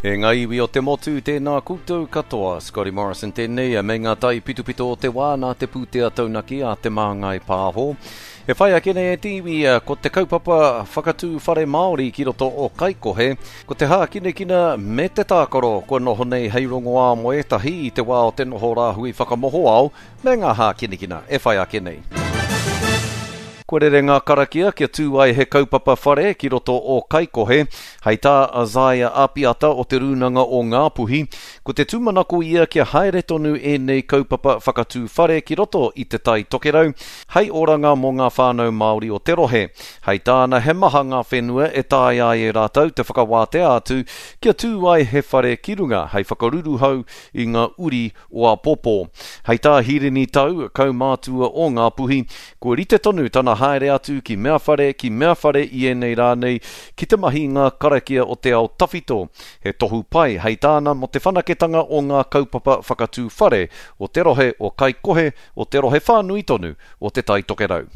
E ngā iwi o te motu, tēnā koutou katoa. Scotty Morrison tēnei, me ngā taipitopito o te wā nā te pūtea taunaki a Te Māngai Pāho. E whai ake nei e te iwi, ko te kaupapa whakatū whare Māori ki roto o Kaikohe, ko te hākinakina me te tākaro kua noho nei hei rongoā mō ētahi i te wā o te noho rāhui whakamohoao, me ngā hākinakina e whai ake nei. Kua rere ngā karakia kia tū ai he kaupapa whare ki roto o Kaikohe. Hei tā Isaiah Apiata o Te Rūnanga o Ngāpuhi, ko te tūmanako ia kia haere tonu ēnei kaupapa whakatū whare ki roto i Te Tai Tokerau hei oranga mō ngā whānau Māori o te rohe. Hei tāna he maha ngā whenua e taea ai e rātou te whakawātea atu kia tū ai he whare ki runga hei whakaruruhau i ngā uri o āpōpō. Hei tā Hirini Tau, kaumātua o Ngāpuhi, kua rite tonu tana haere atu ki mea whare, ki mea whare i ēnei rā nei, ki te mahi i ngā karakia o te ao tawhito. He tohu pai, hei tāna, mō te whanaketanga o ngā kaupapa whakatū whare o te rohe o Kaikohe, o te rohe whānui tonu o Te Tai Tokerau.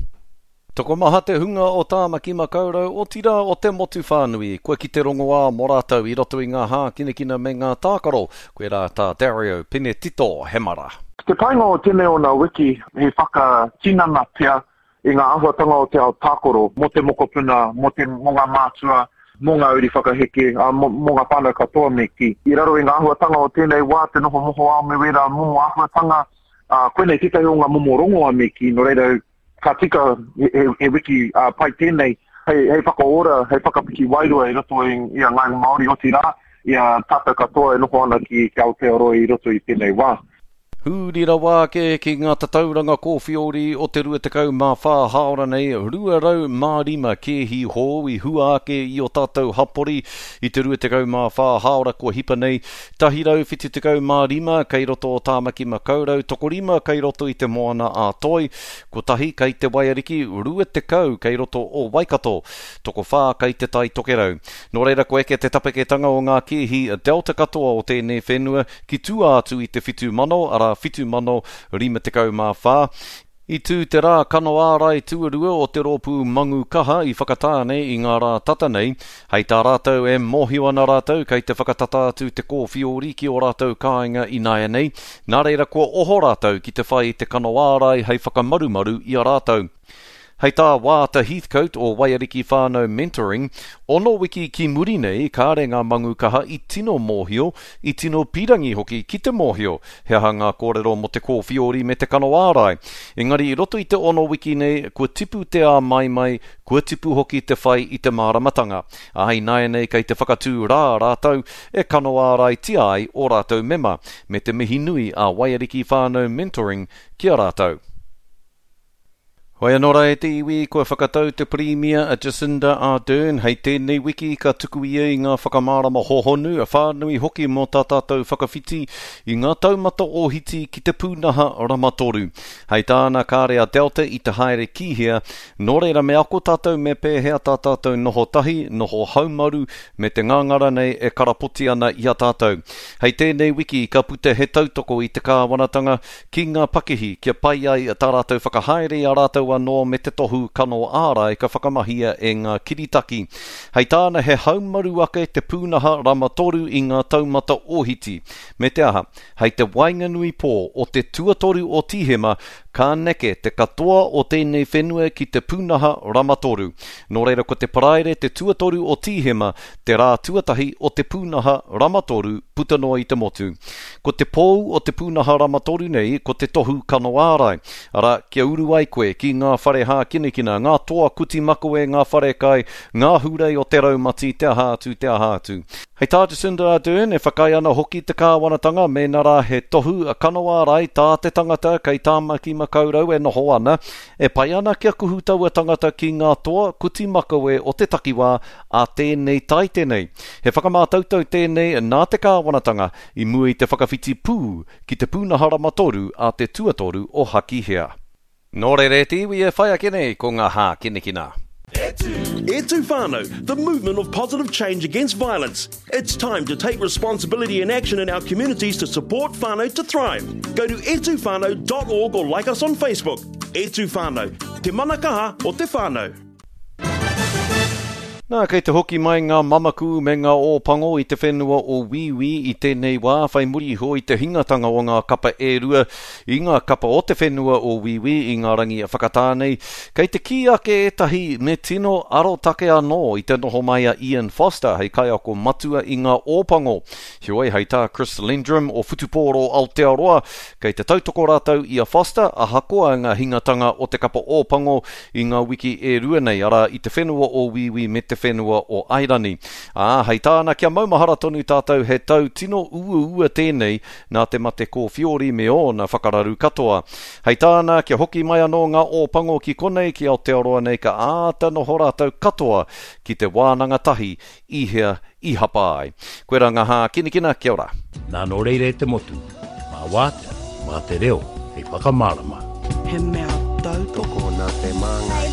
Tokomaha te hunga o Tāmaki Makaurau, otirā o te motu whānui, kua kite rongoā mō rātou i roto i ngā hākinakina me ngā tākaro, koirā tā Dario Penetito Hemara. Te painga o tēnei o ngā wiki he whakatinana pea i ngā āhuatanga o te ao tākaro mō te mokopuna, mō te, mō ngā mātua, mō ngā uri whakaheke, ā, mō, mō ngā whānau katoa me kī. I raro i ngā āhuatanga o tēnei wā, te noho mohoao me wērā momo āhuatanga, ā, koinei tētahi o ngā momo rongoa me kī, nō reira, Ka tika he wiki pai tēnei hei whakaora, hei whakapiki wairua i roto i a Ngāi Māori, otirā, i a tātou katoa e noho ana ki Aotearoa i roto i tēnei wā. Huri rawa ake ki ngā tatauranga kōwhiori o te 24 hāora nei, 205 kēhi hou i hua ake i ō tātou hapori i te 24 hāora kua hipa nei, 175 kei roto o Tāmaki Makaurau, tokorima kei roto i Te Moana a Toi, kotahi kei Te Waiariki, 20 kei roto o Waikato, tokowhā kei Te Tai Tokerau. Nō reira kua eke te tapeketanga o ngā kēhi Delta katoa o tēnei whenua ki tua atu i te 7,000, arā 7,054. I tū te rā kano ārai tuarua o te rōpū Mangu Kaha i Whakatāne i ngā rā tata nei. Hei tā rātou e mōhio ana rātou kei te whakatata atu te kōwhiori ki ō rātou kāinga ināianei, nā reira kua oho rātou ki te whai i te kano ārai hei whakamarumaru i a rātou. Hei tā Waata Heathcote o Waiariki Whānau Mentoring, ono wiki ki muri nei kāre ngā Mangu Kaha i tino mōhio, i tino pīrangi hoki ki te mōhio he aha ngā kōrero mō te kōwhiori me te kano ārai. Engari i roto i te ono wiki nei, kua tipu te āmaimai, kua tipu hoki te whai i te māramatanga. Ā, ināianei kei te whakatū rā rātou e kano āraitia ai ō rātou mema, me te mihi nui a Waiariki Whānau Mentoring ki a rātou. Hoi anō rā e te iwi, kua whakatau te Pirimia a Jacinda Ardern hei tēnei wiki ka tuku ia i ngā whakamārama hohonu, whānui hoki mō tā tātou whakawhiti i ngā taumata ōhiti ki te pūnaha rama toru. Hei tāna kāre a Delta i te haere ki hea, nō reira me ako tātou me pēhea tā tātou noho tahi, noho haumaru me te ngangara nei e karapoti ana i a tātou. Hei tēnei wiki ka puta he tautoko i te kāwanatanga ki ngā pakihi kia pai ai tā rātou whakahaere i a rātou anō me te tohu kano ārai ka whakamahia e ngā kiritaki. Hei tāna he haumaru ake te pūnaha rama toru i ngā taumata ōhiti, me te aha, hei te waenganui pō o te tuatoru o Tīhema ka neke te katoa o tēnei whenua ki te pūnaha rama toru. Nō reira ko te Paraire te tuatoru o Tīhema te rā tuatahi o te pūnaha rama toru puta noa i te motu. Ko te pou o te pūnaha rama toru nei ko te tohu kano ārai, arā, kia uru ai koe ki ngā whare hākinakina, ngā toa kuti makawe, ngā wharekai, ngā hurei o te raumati, te aha atu, te aha atu. Hei tā Jacinda Ardern, e whakaae ana hoki te kāwanatanga mēnā rā he tohu kano ārai tā te tangata kei Tāmaki Makaurau e noho ana, e pai ana kia kuhu taua tangata ki ngā toa kuti makawe o te takiwā a tēnei taite nei. He whakamātautau tēnei nā te kāwanatanga i mua i te whakawhiti pū ki te pūnaha rama toru a te tuatoru o Hakihea. Nō reira e te iwi e whai ake nei ko ngā hākinakina. E tū whānau, the movement of positive change against violence. It's time to take responsibility and action in our communities to support whānau to thrive. Go to etuwhānau.org or like us on Facebook. E tū whānau, te mana kaha o te whānau. Nā, kei te hoki mai ngā mamaku me ngā Ōpango i te whenua o Wīwī i tēnei wā, whai muri iho i te hingatanga o ngā kapa e rua i ngā kapa o te whenua o Wīwī i ngā rangi whakatā nei. Kei te kī ake ētahi me tino arotake anō i te noho mai a Ian Foster hei kaiako matua i ngā Ōpango. Heoi, hei tā Chris Lendrum o Whutupōro Aotearoa, kei te tautoko rātou i a Foster ahakoa ngā hingatanga o te kapa Ōpango i ngā wiki e rua nei, arā, i te whenua o Wīwī me te whenua o Airani. Ā, hei tāna kia maumahara tonu tātou he tau tino uaua tēnei nā te mate kōwhiori me ōna whakararu katoa. Hei tāna kia hoki mai anō ngā Ōpango ki konei ki Aotearoa nei ka āta noho rātou katoa ki te wānanga tahi i hea i hapa ai. Koirā ngā hākinakina, kia ora. Nā nō reira e te motu, mā wātea, mā te reo hei whakamārama. He mea tautoko. Tokona te māngai.